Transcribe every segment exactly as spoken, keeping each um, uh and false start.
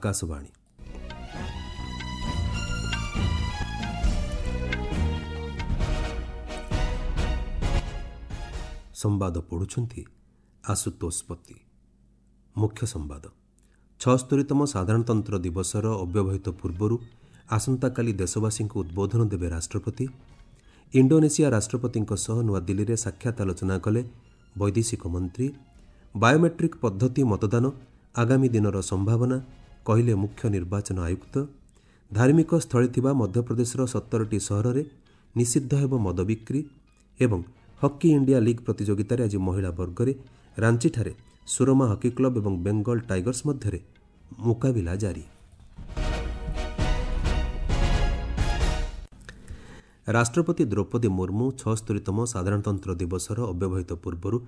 ଆକାଶବାଣୀ। ସମ୍ବାଦ ପଢ଼ୁଛନ୍ତି ଆଶୁତୋଷ ପତି। ମୁଖ୍ୟ ସମ୍ବାଦ। ଛଅସ୍ତରୀତମ ସାଧାରଣତନ୍ତ୍ର ଦିବସର ଅବ୍ୟବହିତ ପୂର୍ବରୁ ଆସନ୍ତାକାଲି ଦେଶବାସୀଙ୍କୁ ଉଦ୍ବୋଧନ ଦେବେ ରାଷ୍ଟ୍ରପତି। ଇଣ୍ଡୋନେସିଆ ରାଷ୍ଟ୍ରପତିଙ୍କ ସହ ନୂଆଦିଲ୍ଲୀରେ ସାକ୍ଷାତ ଆଲୋଚନା କଲେ ବୈଦେଶିକ ମନ୍ତ୍ରୀ। ବାୟୋମେଟ୍ରିକ୍ ପଦ୍ଧତି ମତଦାନ ଆଗାମୀ ଦିନର ସମ୍ଭାବନା କହିଲେ ମୁଖ୍ୟ ନିର୍ବାଚନ ଆୟୁକ୍ତ। ଧାର୍ମିକ ସ୍ଥଳୀ ଥିବା ମଧ୍ୟପ୍ରଦେଶର ସତରଟି ସହରରେ ନିଷିଦ୍ଧ ହେବ ମଦ ବିକ୍ରି। ଏବଂ ହକି ଇଣ୍ଡିଆ ଲିଗ୍ ପ୍ରତିଯୋଗିତାରେ ଆଜି ମହିଳା ବର୍ଗରେ ରାଞ୍ଚିଠାରେ ସୁରମା ହକି କ୍ଲବ ଏବଂ ବେଙ୍ଗଲ ଟାଇଗର୍ସ ମଧ୍ୟରେ ମୁକାବିଲା ଜାରି। ରାଷ୍ଟ୍ରପତି ଦ୍ରୌପଦୀ ମୁର୍ମୁ ଛଅସ୍ତରୀତମ ସାଧାରଣତନ୍ତ୍ର ଦିବସର ଅବ୍ୟବହିତ ପୂର୍ବରୁ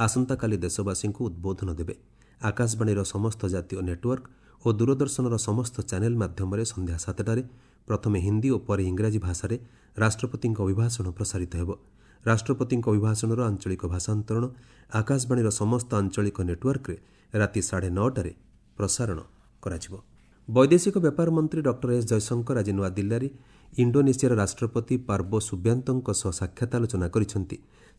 ଆସନ୍ତାକାଲି ଦେଶବାସୀଙ୍କୁ ଉଦ୍ବୋଧନ ଦେବେ। ଆକାଶବାଣୀର ସମସ୍ତ ଜାତୀୟ ନେଟୱାର୍କ ଓ ଦୂରଦର୍ଶନର ସମସ୍ତ ଚ୍ୟାନେଲ ମାଧ୍ୟମରେ ସନ୍ଧ୍ୟା ସାତଟାରେ ପ୍ରଥମେ ହିନ୍ଦୀ ଓ ପରେ ଇଂରାଜୀ ଭାଷାରେ ରାଷ୍ଟ୍ରପତିଙ୍କ ଅଭିଭାଷଣ ପ୍ରସାରିତ ହେବ। ରାଷ୍ଟ୍ରପତିଙ୍କ ଅଭିଭାଷଣର ଆଞ୍ଚଳିକ ଭାଷାନ୍ତରଣ ଆକାଶବାଣୀର ସମସ୍ତ ଆଞ୍ଚଳିକ ନେଟୱାର୍କରେ ରାତି ସାଢ଼େ ନଅଟାରେ ପ୍ରସାରଣ କରାଯିବ। ବୈଦେଶିକ ବ୍ୟାପାର ମନ୍ତ୍ରୀ ଡକ୍ଟର ଏସ୍ ଜୟଶଙ୍କର ଆଜି ନୂଆଦିଲ୍ଲୀରେ ଇଣ୍ଡୋନେସିଆର ରାଷ୍ଟ୍ରପତି ପାର୍ବୋ ସୁବ୍ୟାନ୍ତଙ୍କ ସହ ସାକ୍ଷାତ ଆଲୋଚନା କରିଛନ୍ତି।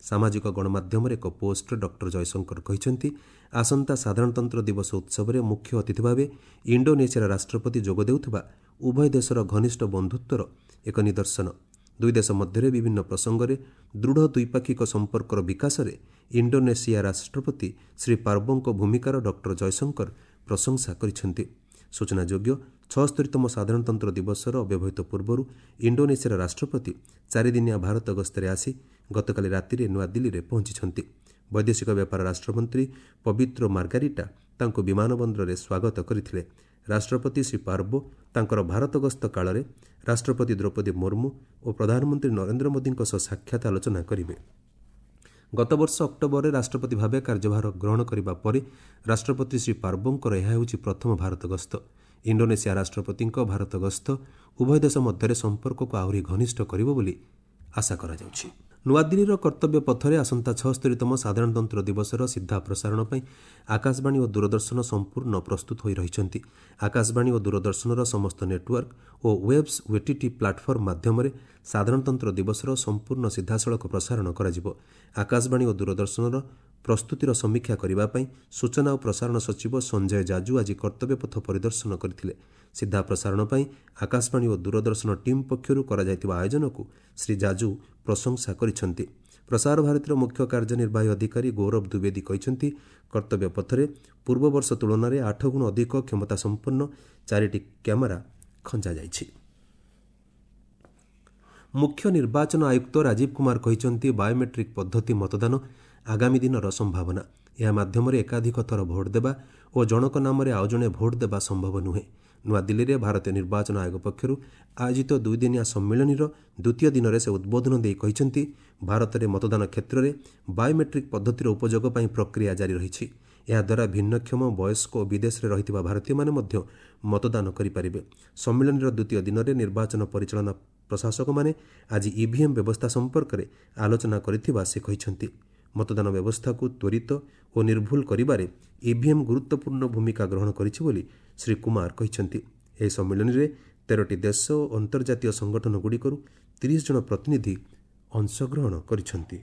ସାମାଜିକ ଗଣମାଧ୍ୟମରେ ଏକ ପୋଷ୍ଟରେ ଡକ୍ଟର ଜୟଶଙ୍କର କହିଛନ୍ତି, ଆସନ୍ତା ସାଧାରଣତନ୍ତ୍ର ଦିବସ ଉତ୍ସବରେ ମୁଖ୍ୟ ଅତିଥି ଭାବେ ଇଣ୍ଡୋନେସିଆର ରାଷ୍ଟ୍ରପତି ଯୋଗ ଦେଉଥିବା ଉଭୟ ଦେଶର ଘନିଷ୍ଠ ବନ୍ଧୁତ୍ୱର ଏକ ନିଦର୍ଶନ। ଦୁଇ ଦେଶ ମଧ୍ୟରେ ବିଭିନ୍ନ ପ୍ରସଙ୍ଗରେ ଦୃଢ଼ ଦ୍ୱିପାକ୍ଷିକ ସମ୍ପର୍କର ବିକାଶରେ ଇଣ୍ଡୋନେସିଆ ରାଷ୍ଟ୍ରପତି ଶ୍ରୀ ପାର୍ବୋଙ୍କ ଭୂମିକାର ଡକ୍ଟର ଜୟଶଙ୍କର ପ୍ରଶଂସା କରିଛନ୍ତି। ସୂଚନାଯୋଗ୍ୟ, ଛଅସ୍ତରୀତମ ସାଧାରଣତନ୍ତ୍ର ଦିବସର ଅବ୍ୟବହିତ ପୂର୍ବରୁ ଇଣ୍ଡୋନେସିଆର ରାଷ୍ଟ୍ରପତି ଚାରିଦିନିଆ ଭାରତ ଗସ୍ତରେ ଆସି ଗତକାଲି ରାତିରେ ନୂଆଦିଲ୍ଲୀରେ ପହଞ୍ଚିଛନ୍ତି। ବୈଦେଶିକ ବ୍ୟାପାର ରାଷ୍ଟ୍ରମନ୍ତ୍ରୀ ପବିତ୍ର ମାର୍ଗାରିଟା ତାଙ୍କୁ ବିମାନ ବନ୍ଦରରେ ସ୍ୱାଗତ କରିଥିଲେ। ରାଷ୍ଟ୍ରପତି ଶ୍ରୀ ପାର୍ବୋ ତାଙ୍କର ଭାରତ ଗସ୍ତ କାଳରେ ରାଷ୍ଟ୍ରପତି ଦ୍ରୌପଦୀ ମୁର୍ମୁ ଓ ପ୍ରଧାନମନ୍ତ୍ରୀ ନରେନ୍ଦ୍ର ମୋଦିଙ୍କ ସହ ସାକ୍ଷାତ ଆଲୋଚନା କରିବେ। ଗତବର୍ଷ ଅକ୍ଟୋବରରେ ରାଷ୍ଟ୍ରପତି ଭାବେ କାର୍ଯ୍ୟଭାର ଗ୍ରହଣ କରିବା ପରେ ରାଷ୍ଟ୍ରପତି ଶ୍ରୀ ପାର୍ବୋଙ୍କର ଏହା ହେଉଛି ପ୍ରଥମ ଭାରତ ଗସ୍ତ। ଇଣ୍ଡୋନେସିଆ ରାଷ୍ଟ୍ରପତିଙ୍କ ଭାରତ ଗସ୍ତ ଉଭୟ ଦେଶ ମଧ୍ୟରେ ସମ୍ପର୍କକୁ ଆହୁରି ଘନିଷ୍ଠ କରିବ ବୋଲି ଆଶା କରାଯାଉଛି। ନୂଆଦିଲ୍ଲୀର କର୍ତ୍ତବ୍ୟ ପଥରେ ଆସନ୍ତା ଛଅସ୍ତରୀତମ ସାଧାରଣତନ୍ତ୍ର ଦିବସର ସିଧା ପ୍ରସାରଣ ପାଇଁ ଆକାଶବାଣୀ ଓ ଦୂରଦର୍ଶନ ସମ୍ପୂର୍ଣ୍ଣ ପ୍ରସ୍ତୁତ ହୋଇ ରହିଛନ୍ତି। ଆକାଶବାଣୀ ଓ ଦୂରଦର୍ଶନର ସମସ୍ତ ନେଟୱାର୍କ ଓ ୱେବ୍ସ ଓଟିଟି ପ୍ଲାଟଫର୍ମ ମାଧ୍ୟମରେ ସାଧାରଣତନ୍ତ୍ର ଦିବସର ସମ୍ପୂର୍ଣ୍ଣ ସିଧାସଳଖ ପ୍ରସାରଣ କରାଯିବ। ଆକାଶବାଣୀ ଓ ଦୂରଦର୍ଶନର ପ୍ରସ୍ତୁତିର ସମୀକ୍ଷା କରିବା ପାଇଁ ସୂଚନା ଓ ପ୍ରସାରଣ ସଚିବ ସଞ୍ଜୟ ଜାଜୁ ଆଜି କର୍ତ୍ତବ୍ୟପଥ ପରିଦର୍ଶନ କରିଥିଲେ। ସିଧା ପ୍ରସାରଣ ପାଇଁ ଆକାଶବାଣୀ ଓ ଦୂରଦର୍ଶନ ଟିମ୍ ପକ୍ଷରୁ କରାଯାଇଥିବା ଆୟୋଜନକୁ ଶ୍ରୀ ଜାଜୁ ପ୍ରଶଂସା କରିଛନ୍ତି। ପ୍ରସାର ଭାରତୀର ମୁଖ୍ୟ କାର୍ଯ୍ୟନିର୍ବାହୀ ଅଧିକାରୀ ଗୌରବ ଦ୍ୱିବେଦୀ କହିଛନ୍ତି, କର୍ତ୍ତବ୍ୟ ପଥରେ ପୂର୍ବବର୍ଷ ତୁଳନାରେ ଆଠ ଗୁଣ ଅଧିକ କ୍ଷମତାସମ୍ପନ୍ନ ଚାରିଟି କ୍ୟାମେରା ଖଞ୍ଜାଯାଇଛି। ମୁଖ୍ୟ ନିର୍ବାଚନ ଆୟୁକ୍ତ ରାଜୀବ କୁମାର କହିଛନ୍ତି, ବାୟୋମେଟ୍ରିକ୍ ପଦ୍ଧତି ମତଦାନ ଆଗାମୀ ଦିନର ସମ୍ଭାବନା। ଏହା ମାଧ୍ୟମରେ ଏକାଧିକ ଥର ଭୋଟ୍ ଦେବା ଓ ଜଣକ ନାମରେ ଆଉ ଜଣେ ଭୋଟ୍ ଦେବା ସମ୍ଭବ ନୁହେଁ। ନୂଆଦିଲ୍ଲୀରେ ଭାରତୀୟ ନିର୍ବାଚନ ଆୟୋଗ ପକ୍ଷରୁ ଆୟୋଜିତ ଦୁଇଦିନିଆ ସମ୍ମିଳନୀର ଦ୍ୱିତୀୟ ଦିନରେ ସେ ଉଦ୍ବୋଧନ ଦେଇ କହିଛନ୍ତି, ଭାରତରେ ମତଦାନ କ୍ଷେତ୍ରରେ ବାୟୋମେଟ୍ରିକ୍ ପଦ୍ଧତିର ଉପଯୋଗ ପାଇଁ ପ୍ରକ୍ରିୟା ଜାରି ରହିଛି। ଏହାଦ୍ୱାରା ଭିନ୍ନକ୍ଷମ, ବୟସ୍କ ଓ ବିଦେଶରେ ରହିଥିବା ଭାରତୀୟମାନେ ମଧ୍ୟ ମତଦାନ କରିପାରିବେ। ସମ୍ମିଳନୀର ଦ୍ୱିତୀୟ ଦିନରେ ନିର୍ବାଚନ ପରିଚାଳନା ପ୍ରଶାସକମାନେ ଆଜି ଇଭିଏମ୍ ବ୍ୟବସ୍ଥା ସମ୍ପର୍କରେ ଆଲୋଚନା କରିଥିବା ସେ କହିଛନ୍ତି। ମତଦାନ ବ୍ୟବସ୍ଥାକୁ ତ୍ୱରିତ ଓ ନିର୍ଭୁଲ କରିବାରେ ଇଭିଏମ୍ ଗୁରୁତ୍ୱପୂର୍ଣ୍ଣ ଭୂମିକା ଗ୍ରହଣ କରିଛି ବୋଲି ଶ୍ରୀ କୁମାର କହିଛନ୍ତି। ଏହି ସମ୍ମିଳନୀରେ ତେରଟି ଦେଶ ଓ ଅନ୍ତର୍ଜାତୀୟ ସଂଗଠନଗୁଡ଼ିକରୁ ତିରିଶ ଜଣ ପ୍ରତିନିଧି ଅଂଶଗ୍ରହଣ କରିଛନ୍ତି।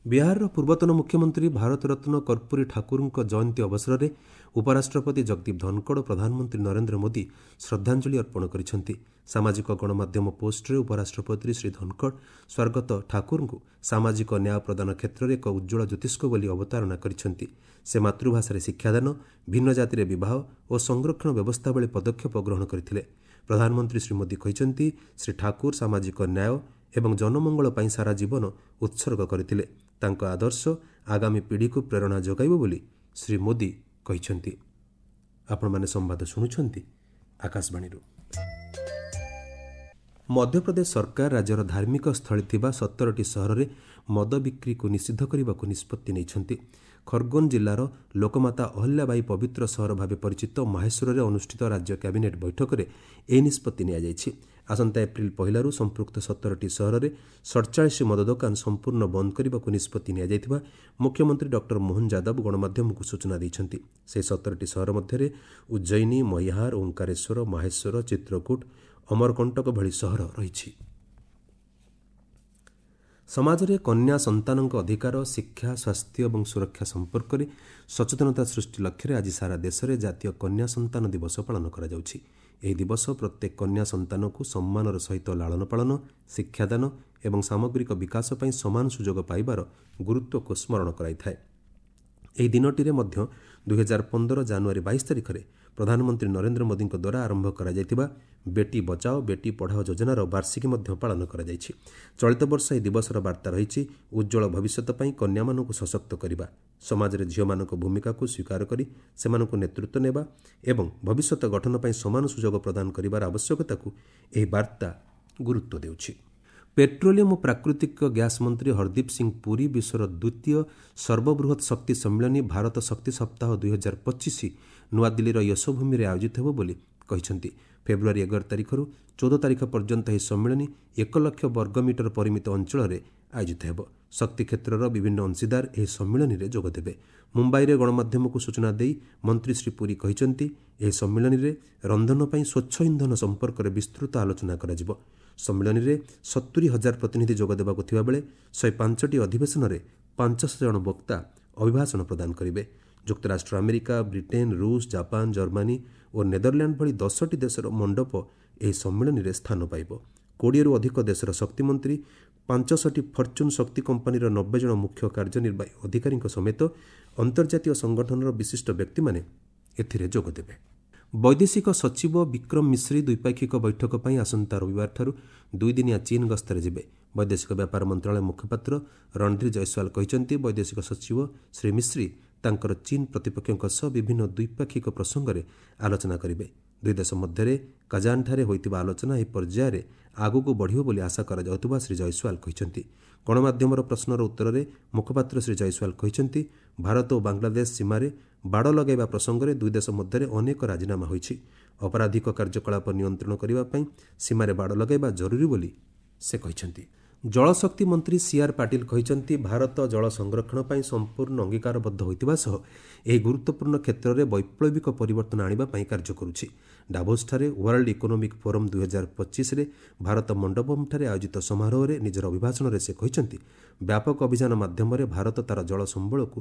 ବିହାରର ପୂର୍ବତନ ମୁଖ୍ୟମନ୍ତ୍ରୀ ଭାରତରତ୍ନ କର୍ପୂରୀ ଠାକୁରଙ୍କ ଜୟନ୍ତୀ ଅବସରରେ ଉପରାଷ୍ଟ୍ରପତି ଜଗଦୀପ ଧନଖଡ଼ ଓ ପ୍ରଧାନମନ୍ତ୍ରୀ ନରେନ୍ଦ୍ର ମୋଦି ଶ୍ରଦ୍ଧାଞ୍ଜଳି ଅର୍ପଣ କରିଛନ୍ତି। ସାମାଜିକ ଗଣମାଧ୍ୟମ ପୋଷ୍ଟରେ ଉପରାଷ୍ଟ୍ରପତି ଶ୍ରୀ ଧନଖଡ଼ ସ୍ୱର୍ଗତ ଠାକୁରଙ୍କୁ ସାମାଜିକ ନ୍ୟାୟ ପ୍ରଦାନ କ୍ଷେତ୍ରରେ ଏକ ଉଜ୍ଜ୍ୱଳ ଜ୍ୟୋତିଷ୍କ ବୋଲି ଅବତାରଣା କରିଛନ୍ତି। ସେ ମାତୃଭାଷାରେ ଶିକ୍ଷାଦାନ, ଭିନ୍ନ ଜାତିରେ ବିବାହ ଓ ସଂରକ୍ଷଣ ବ୍ୟବସ୍ଥା ଭଳି ପଦକ୍ଷେପ ଗ୍ରହଣ କରିଥିଲେ। ପ୍ରଧାନମନ୍ତ୍ରୀ ଶ୍ରୀ ମୋଦି କହିଛନ୍ତି, ଶ୍ରୀ ଠାକୁର ସାମାଜିକ ନ୍ୟାୟ ଏବଂ ଜନମଙ୍ଗଳ ପାଇଁ ସାରା ଜୀବନ ଉତ୍ସର୍ଗ କରିଥିଲେ। ତାଙ୍କ ଆଦର୍ଶ ଆଗାମୀ ପିଢ଼ିକୁ ପ୍ରେରଣା ଯୋଗାଇବ ବୋଲି ଶ୍ରୀ ମୋଦି କହିଛନ୍ତି। ଆପଣମାନେ ସମ୍ବାଦ ଶୁଣୁଛନ୍ତି ଆକାଶବାଣୀରୁ। ମଧ୍ୟପ୍ରଦେଶ ସରକାର ରାଜ୍ୟର ଧାର୍ମିକ ସ୍ଥଳୀ ଥିବା ସତରଟି ସହରରେ ମଦ ବିକ୍ରିକୁ ନିଷିଦ୍ଧ କରିବାକୁ ନିଷ୍ପତ୍ତି ନେଇଛନ୍ତି। ଖରଗୋନ ଜିଲ୍ଲାର ଲୋକମାତା ଅହଲ୍ୟାବାଇ ପବିତ୍ର ସହର ଭାବେ ପରିଚିତ ମାହେଶ୍ୱରରେ ଅନୁଷ୍ଠିତ ରାଜ୍ୟ କ୍ୟାବିନେଟ୍ ବୈଠକରେ ଏହି ନିଷ୍ପତ୍ତି ନିଆଯାଇଛି। ଆସନ୍ତା ଏପ୍ରିଲ ପହିଲାରୁ ସମ୍ପୃକ୍ତ ସତରଟି ସହରରେ ସଡ଼ଚାଳିଶ ମଦ ଦୋକାନ ସମ୍ପୂର୍ଣ୍ଣ ବନ୍ଦ କରିବାକୁ ନିଷ୍ପତ୍ତି ନିଆଯାଇଥିବା ମୁଖ୍ୟମନ୍ତ୍ରୀ ଡକ୍ଟର ମୋହନ ଯାଦବ ଗଣମାଧ୍ୟମକୁ ସୂଚନା ଦେଇଛନ୍ତି। ସେହି ସତରଟି ସହର ମଧ୍ୟରେ ଉଜ୍ଜୟିନୀ, ମୈହାର, ଓଙ୍କାରେଶ୍ୱର, ମାହେଶ୍ୱର, ଚିତ୍ରକୂଟ, ଅମରକଣ୍ଟକ ଭଳି ସହର ରହିଛି। ସମାଜରେ କନ୍ୟା ସନ୍ତାନଙ୍କ ଅଧିକାର, ଶିକ୍ଷା, ସ୍ୱାସ୍ଥ୍ୟ ଏବଂ ସୁରକ୍ଷା ସମ୍ପର୍କରେ ସଚେତନତା ସୃଷ୍ଟି ଲକ୍ଷ୍ୟରେ ଆଜି ସାରା ଦେଶରେ ଜାତୀୟ କନ୍ୟା ସନ୍ତାନ ଦିବସ ପାଳନ କରାଯାଉଛି। ଏହି ଦିବସ ପ୍ରତ୍ୟେକ କନ୍ୟା ସନ୍ତାନକୁ ସମ୍ମାନର ସହିତ ଲାଳନ ପାଳନ, ଶିକ୍ଷାଦାନ ଏବଂ ସାମଗ୍ରିକ ବିକାଶ ପାଇଁ ସମାନ ସୁଯୋଗ ପାଇବାର ଗୁରୁତ୍ୱକୁ ସ୍ମରଣ କରାଇଥାଏ। ଏହି ଦିନଟିରେ ମଧ୍ୟ ଦୁଇହଜାର ପନ୍ଦର ଜାନୁଆରୀ ବାଇଶ ତାରିଖରେ ପ୍ରଧାନମନ୍ତ୍ରୀ ନରେନ୍ଦ୍ର ମୋଦିଙ୍କ ଦ୍ୱାରା ଆରମ୍ଭ କରାଯାଇଥିବା ବେଟି ବଚାଓ ବେଟି ପଢ଼ାଓ ଯୋଜନାର ବାର୍ଷିକୀ ମଧ୍ୟ ପାଳନ କରାଯାଇଛି। ଚଳିତ ବର୍ଷ ଏହି ଦିବସର ବାର୍ତ୍ତା ରହିଛି ଉଜ୍ଜ୍ୱଳ ଭବିଷ୍ୟତ ପାଇଁ କନ୍ୟାମାନଙ୍କୁ ସଶକ୍ତ କରିବା, ସମାଜରେ ଝିଅମାନଙ୍କ ଭୂମିକାକୁ ସ୍ୱୀକାର କରି ସେମାନଙ୍କୁ ନେତୃତ୍ୱ ନେବା ଏବଂ ଭବିଷ୍ୟତ ଗଠନ ପାଇଁ ସମାନ ସୁଯୋଗ ପ୍ରଦାନ କରିବାର ଆବଶ୍ୟକତାକୁ ଏହି ବାର୍ତ୍ତା ଗୁରୁତ୍ୱ ଦେଉଛି। ପେଟ୍ରୋଲିୟମ ଓ ପ୍ରାକୃତିକ ଗ୍ୟାସ୍ ମନ୍ତ୍ରୀ ହରଦୀପ ସିଂ ପୁରୀ ବିଶ୍ୱର ଦ୍ୱିତୀୟ ସର୍ବବୃହତ୍ ଶକ୍ତି ସମ୍ମିଳନୀ ଭାରତ ଶକ୍ତି ସପ୍ତାହ ଦୁଇହଜାର ପଚିଶ ନୂଆଦିଲ୍ଲୀର ୟଶୋଭୂମିରେ ଆୟୋଜିତ ହେବ ବୋଲି କହିଛନ୍ତି। ଫେବୃଆରୀ ଏଗାର ତାରିଖରୁ ଚଉଦ ତାରିଖ ପର୍ଯ୍ୟନ୍ତ ଏହି ସମ୍ମିଳନୀ ଏକ ଲକ୍ଷ ବର୍ଗ ମିଟର ପରିମିତ ଅଞ୍ଚଳରେ ଆୟୋଜିତ ହେବ। ଶକ୍ତି କ୍ଷେତ୍ରର ବିଭିନ୍ନ ଅଂଶୀଦାର ଏହି ସମ୍ମିଳନୀରେ ଯୋଗଦେବେ। ମୁମ୍ବାଇରେ ଗଣମାଧ୍ୟମକୁ ସୂଚନା ଦେଇ ମନ୍ତ୍ରୀ ଶ୍ରୀ ପୁରୀ କହିଛନ୍ତି, ଏହି ସମ୍ମିଳନୀରେ ରନ୍ଧନ ପାଇଁ ସ୍ୱଚ୍ଛ ଇନ୍ଧନ ସମ୍ପର୍କରେ ବିସ୍ତୃତ ଆଲୋଚନା କରାଯିବ। ସମ୍ମିଳନୀରେ ସତୁରି ହଜାର ପ୍ରତିନିଧି ଯୋଗ ଦେବାକୁ ଥିବାବେଳେ ଶହେ ପାଞ୍ଚଟି ଅଧିବେଶନରେ ପାଞ୍ଚଶହ ଜଣ ବକ୍ତା ଅଭିଭାଷଣ ପ୍ରଦାନ କରିବେ। ଯୁକ୍ତରାଷ୍ଟ୍ର ଆମେରିକା, ବ୍ରିଟେନ୍, ରୁଷ, ଜାପାନ, ଜର୍ମାନୀ ଓ ନେଦରଲ୍ୟାଣ୍ଡ ଭଳି ଦଶଟି ଦେଶର ମଣ୍ଡପ ଏହି ସମ୍ମିଳନୀରେ ସ୍ଥାନ ପାଇବ। କୋଡ଼ିଏରୁ ଅଧିକ ଦେଶର ଶକ୍ତିମନ୍ତ୍ରୀ, ପାଞ୍ଚଶହଟି ଫର୍ଚୁନ୍ ଶକ୍ତି କମ୍ପାନୀର ନବେ ଜଣ ମୁଖ୍ୟ କାର୍ଯ୍ୟନିର୍ବାହୀ ଅଧିକାରୀଙ୍କ ସମେତ ଅନ୍ତର୍ଜାତୀୟ ସଂଗଠନର ବିଶିଷ୍ଟ ବ୍ୟକ୍ତିମାନେ ଏଥିରେ ଯୋଗଦେବେ। ବୈଦେଶିକ ସଚିବ ବିକ୍ରମ ମିଶ୍ରି ଦ୍ୱିପାକ୍ଷିକ ବୈଠକ ପାଇଁ ଆସନ୍ତା ରବିବାରଠାରୁ ଦୁଇଦିନିଆ ଚୀନ୍ ଗସ୍ତରେ ଯିବେ। ବୈଦେଶିକ ବ୍ୟାପାର ମନ୍ତ୍ରଣାଳୟ ମୁଖପାତ୍ର ରଣଧୀର ଜୟସ୍ୱାଲ କହିଛନ୍ତି, ବୈଦେଶିକ ସଚିବ ଶ୍ରୀ ମିଶ୍ରି ତାଙ୍କର ଚୀନ୍ ପ୍ରତିପକ୍ଷଙ୍କ ସହ ବିଭିନ୍ନ ଦ୍ୱିପାକ୍ଷିକ ପ୍ରସଙ୍ଗରେ ଆଲୋଚନା କରିବେ। ଦୁଇ ଦେଶ ମଧ୍ୟରେ କାଜାନଠାରେ ହୋଇଥିବା ଆଲୋଚନା ଏହି ପର୍ଯ୍ୟାୟରେ ଆଗକୁ ବଢ଼ିବ ବୋଲି ଆଶା କରାଯାଉଥିବା ଶ୍ରୀ ଜୟସ୍ୱାଲ କହିଛନ୍ତି। ଗଣମାଧ୍ୟମର ପ୍ରଶ୍ନର ଉତ୍ତରରେ ମୁଖପାତ୍ର ଶ୍ରୀ ଜୟସ୍ୱାଲ କହିଛନ୍ତି, ଭାରତ ଓ ବାଂଲାଦେଶ ସୀମାରେ ବାଡ଼ ଲଗାଇବା ପ୍ରସଙ୍ଗରେ ଦୁଇ ଦେଶ ମଧ୍ୟରେ ଅନେକ ରାଜିନାମା ହୋଇଛି। ଅପରାଧିକ କାର୍ଯ୍ୟକଳାପ ନିୟନ୍ତ୍ରଣ କରିବା ପାଇଁ ସୀମାରେ ବାଡ଼ ଲଗାଇବା ଜରୁରୀ ବୋଲି ସେ କହିଛନ୍ତି। ଜଳଶକ୍ତି ମନ୍ତ୍ରୀ ସି ଆର୍ ପାଟିଲ କହିଛନ୍ତି, ଭାରତ ଜଳ ସଂରକ୍ଷଣ ପାଇଁ ସମ୍ପୂର୍ଣ୍ଣ ଅଙ୍ଗୀକାରବଦ୍ଧ ହୋଇଥିବା ସହ ଏହି ଗୁରୁତ୍ୱପୂର୍ଣ୍ଣ କ୍ଷେତ୍ରରେ ବୈପ୍ଳବିକ ପରିବର୍ତ୍ତନ ଆଣିବା ପାଇଁ କାର୍ଯ୍ୟ କରୁଛି। ଡାଭୋସଠାରେ ୱାର୍ଲଡ ଇକୋନୋମିକ୍ ଫୋରମ୍ ଦୁଇହଜାର ପଚିଶରେ ଭାରତ ମଣ୍ଡପମଠାରେ ଆୟୋଜିତ ସମାରୋହରେ ନିଜର ଅଭିଭାଷଣରେ ସେ କହିଛନ୍ତି, ବ୍ୟାପକ ଅଭିଯାନ ମାଧ୍ୟମରେ ଭାରତ ତା'ର ଜଳ ସମ୍ବଳକୁ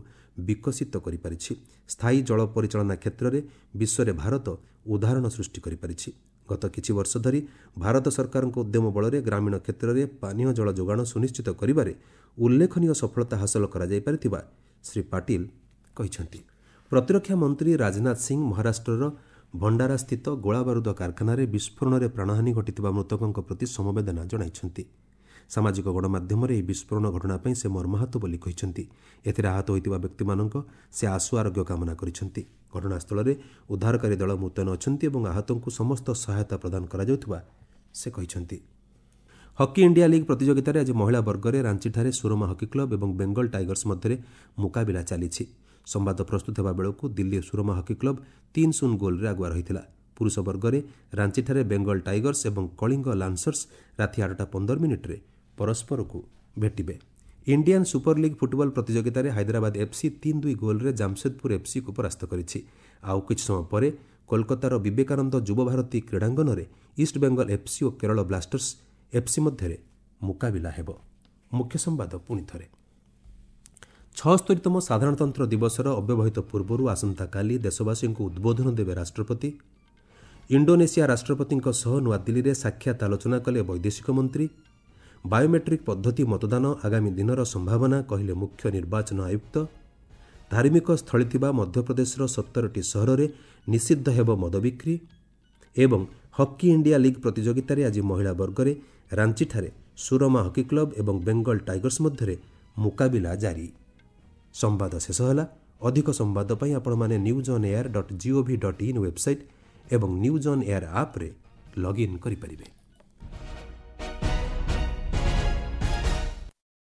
ବିକଶିତ କରିପାରିଛି। ସ୍ଥାୟୀ ଜଳ ପରିଚାଳନା କ୍ଷେତ୍ରରେ ବିଶ୍ୱରେ ଭାରତ ଉଦାହରଣ ସୃଷ୍ଟି କରିପାରିଛି। ଗତ କିଛି ବର୍ଷ ଧରି ଭାରତ ସରକାରଙ୍କ ଉଦ୍ୟମ ବଳରେ ଗ୍ରାମୀଣ କ୍ଷେତ୍ରରେ ପାନୀୟ ଜଳ ଯୋଗାଣ ସୁନିଶ୍ଚିତ କରିବାରେ ଉଲ୍ଲେଖନୀୟ ସଫଳତା ହାସଲ କରାଯାଇପାରିଥିବା ଶ୍ରୀ ପାଟିଲ କହିଛନ୍ତି। ପ୍ରତିରକ୍ଷା ମନ୍ତ୍ରୀ ରାଜନାଥ ସିଂ ମହାରାଷ୍ଟ୍ରର ଭଣ୍ଡାରାସ୍ଥିତ ଗୋଳାବାରୁଦ କାରଖାନାରେ ବିସ୍ଫୋରଣରେ ପ୍ରାଣହାନି ଘଟିଥିବା ମୃତକଙ୍କ ପ୍ରତି ସମବେଦନା ଜଣାଇଛନ୍ତି। ସାମାଜିକ ଗଣମାଧ୍ୟମରେ ଏହି ବିସ୍ଫୋରଣ ଘଟଣା ପାଇଁ ସେ ମର୍ମାହତ ବୋଲି କହିଛନ୍ତି। ଏଥିରେ ଆହତ ହୋଇଥିବା ବ୍ୟକ୍ତିମାନଙ୍କ ସେ ଆଶୁ ଆରୋଗ୍ୟ କାମନା କରିଛନ୍ତି। ଘଟଣାସ୍ଥଳରେ ଉଦ୍ଧାରକାରୀ ଦଳ ମୁତୟନ ଅଛନ୍ତି ଏବଂ ଆହତଙ୍କୁ ସମସ୍ତ ସହାୟତା ପ୍ରଦାନ କରାଯାଉଥିବା ସେ କହିଛନ୍ତି। ହକି ଇଣ୍ଡିଆ ଲିଗ୍ ପ୍ରତିଯୋଗିତାରେ ଆଜି ମହିଳା ବର୍ଗରେ ରାଞ୍ଚିଠାରେ ସୁରମା ହକି କ୍ଲବ୍ ଏବଂ ବେଙ୍ଗଲ ଟାଇଗର୍ସ ମଧ୍ୟରେ ମୁକାବିଲା ଚାଲିଛି। ସମ୍ବାଦ ପ୍ରସ୍ତୁତ ହେବା ବେଳକୁ ଦିଲ୍ଲୀ ସୁରମା ହକି କ୍ଲବ୍ ତିନି ଶୂନ ଗୋଲ୍ରେ ଆଗୁଆ ରହିଥିଲା। ପୁରୁଷ ବର୍ଗରେ ରାଞ୍ଚିଠାରେ ବେଙ୍ଗଲ ଟାଇଗର୍ସ ଏବଂ କଳିଙ୍ଗ ଲାନ୍ସର୍ସ ରାତି ଆଠଟା ପନ୍ଦର ମିନିଟ୍ରେ ପରସ୍ପରକୁ ଭେଟିବେ। ଇଣ୍ଡିଆନ୍ ସୁପର ଲିଗ୍ ଫୁଟବଲ ପ୍ରତିଯୋଗିତାରେ ହାଇଦ୍ରାବାଦ ଏଫ୍ସି ତିନି ଦୁଇ ଗୋଲ୍ରେ ଜାମସେଦପୁର ଏଫ୍ସିକୁ ପରାସ୍ତ କରିଛି। ଆଉ କିଛି ସମୟ ପରେ କୋଲକାତାର ବିବେକାନନ୍ଦ ଯୁବଭାରତୀ କ୍ରୀଡ଼ାଙ୍ଗନରେ ଇଷ୍ଟବେଙ୍ଗଲ ଏଫ୍ସି ଓ କେରଳ ବ୍ଲାଷ୍ଟର୍ସ ଏଫ୍ସି ମଧ୍ୟରେ ମୁକାବିଲା ହେବ। ମୁଖ୍ୟ ସମ୍ବାଦ ପୁଣି ଥରେ। ଛଅସ୍ତରୀତମ ସାଧାରଣତନ୍ତ୍ର ଦିବସର ଅବ୍ୟବହିତ ପୂର୍ବରୁ ଆସନ୍ତାକାଲି ଦେଶବାସୀଙ୍କୁ ଉଦ୍ବୋଧନ ଦେବେ ରାଷ୍ଟ୍ରପତି। ଇଣ୍ଡୋନେସିଆ ରାଷ୍ଟ୍ରପତିଙ୍କ ସହ ନୂଆଦିଲ୍ଲୀରେ ସାକ୍ଷାତ ଆଲୋଚନା କଲେ ବୈଦେଶିକ ମନ୍ତ୍ରୀ। ବାୟୋମେଟ୍ରିକ୍ ପଦ୍ଧତି ମତଦାନ ଆଗାମୀ ଦିନର ସମ୍ଭାବନା କହିଲେ ମୁଖ୍ୟ ନିର୍ବାଚନ ଆୟୁକ୍ତ। ଧାର୍ମିକ ସ୍ଥଳୀ ଥିବା ମଧ୍ୟପ୍ରଦେଶର ସତରଟି ସହରରେ ନିଷିଦ୍ଧ ହେବ ମଦ ବିକ୍ରି। ଏବଂ ହକି ଇଣ୍ଡିଆ ଲିଗ୍ ପ୍ରତିଯୋଗିତାରେ ଆଜି ମହିଳା ବର୍ଗରେ ରାଞ୍ଚିଠାରେ ସୁରମା ହକି କ୍ଲବ୍ ଏବଂ ବେଙ୍ଗଲ ଟାଇଗର୍ସ ମଧ୍ୟରେ ମୁକାବିଲା ଜାରି। ସମ୍ବାଦ ଶେଷ ହେଲା। ଅଧିକ ସମ୍ବାଦ ପାଇଁ ଆପଣମାନେ news on air dot gov dot in website ଏବଂ ନ୍ୟୁଜ୍ ଅନ୍ ଏୟାର ଆପ୍ରେ ଲଗ୍ଇନ୍ କରିପାରିବେ।